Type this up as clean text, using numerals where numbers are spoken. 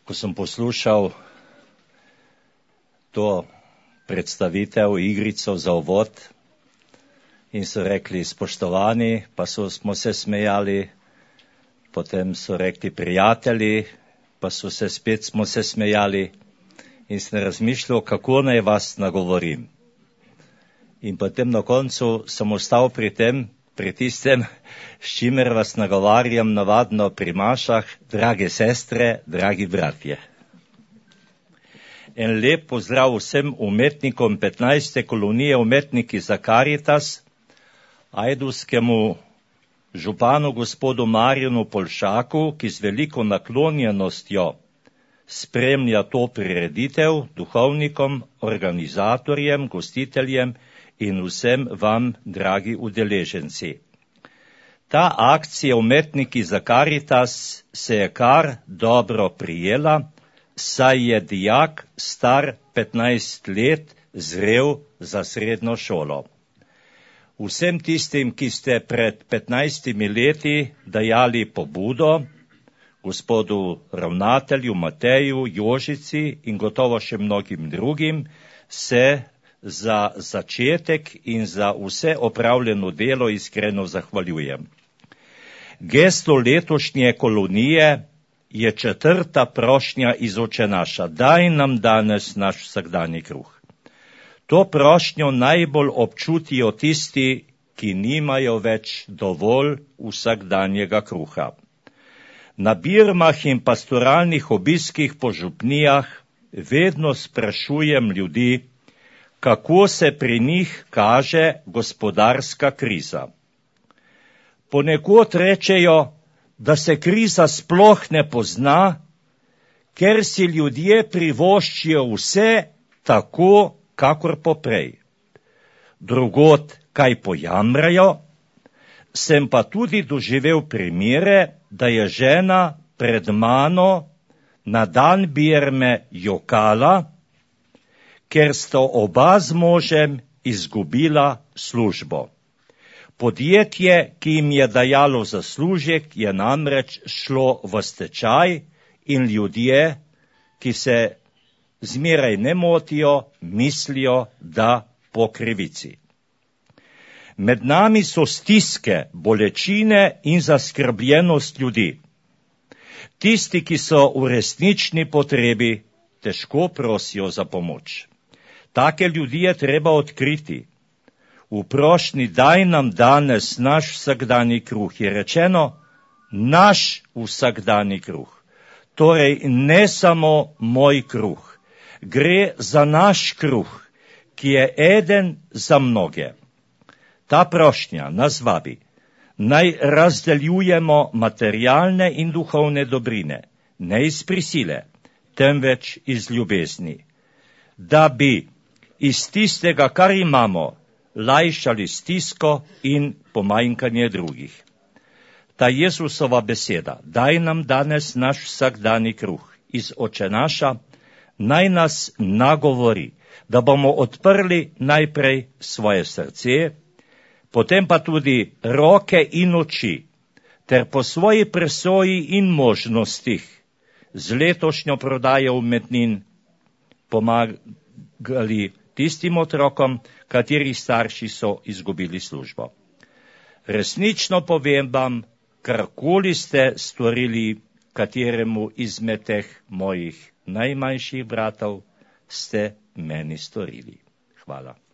ko sem poslušal to predstavitev, igrico za uvod in so rekli spoštovani, pa smo se smejali, potem so rekli prijatelji, pa smo se smejali in sem razmišljal, kako naj vas nagovorim. In potem na koncu sem ostal pri tistem, s čimer vas nagovarjam navadno pri mašah, drage sestre, dragi bratje. En lep pozdrav vsem umetnikom 15. kolonije Umetniki za Karitas, ajdovskemu županu gospodu Marjanu Polšaku, ki z veliko naklonjenostjo spremlja to prireditev, duhovnikom, organizatorjem, gostiteljem in vsem vam, dragi udeleženci. Ta akcija Umetniki za Karitas se je kar dobro prijela, saj je dijak star 15 let zrel za srednjo šolo. Vsem tistim, ki ste pred 15 leti dajali pobudo, gospodu ravnatelju Mateju, Jožici in gotovo še mnogim drugim, se za začetek in za vse opravljeno delo iskreno zahvaljujem. Gesto letošnje kolonije je 4. prošnja iz Oče naša, daj nam danes naš vsakdanji kruh. To prošnjo najbolj občutijo tisti, ki nimajo več dovolj vsakdanjega kruha. Na birmah in pastoralnih obiskih po župnijah vedno sprašujem ljudi, kako se pri njih kaže gospodarska kriza. Ponekod rečejo, da se kriza sploh ne pozna, ker si ljudje privoščijo vse tako, kakor poprej. Drugod kaj pojamrajo, sem pa tudi doživel primere, da je žena pred mano na dan birme jokala, ker sta oba z možem izgubila službo. Podjetje, ki jim je dajalo zaslužek, je namreč šlo v stečaj in ljudje, ki se zmeraj ne motijo, mislijo, da po krivici. Med nami so stiske, bolečine in zaskrbljenost ljudi. Tisti, ki so v resnični potrebi, težko prosijo za pomoč. Take ljudi je treba odkriti. V prošnji daj nam danes naš vsakdanji kruh je rečeno naš vsakdanji kruh. Torej ne samo moj kruh. Gre za naš kruh, ki je eden za mnoge. Ta prošnja nas vabi, naj razdeljujemo materialne in duhovne dobrine, ne iz prisile, temveč iz ljubezni, da bi iz tistega, kar imamo, lajšali stisko in pomanjkanje drugih. Ta Jezusova beseda, daj nam danes naš vsakdanji kruh iz Oče naša, naj nas nagovori, da bomo odprli najprej svoje srce, potem pa tudi roke in oči, ter po svoji presoji in možnostih z letošnjo prodajo umetnin pomagali tistim otrokom, katerih starši so izgubili službo. Resnično povem vam, karkoli ste storili kateremu izmed teh mojih najmanjših bratov, ste meni storili. Hvala.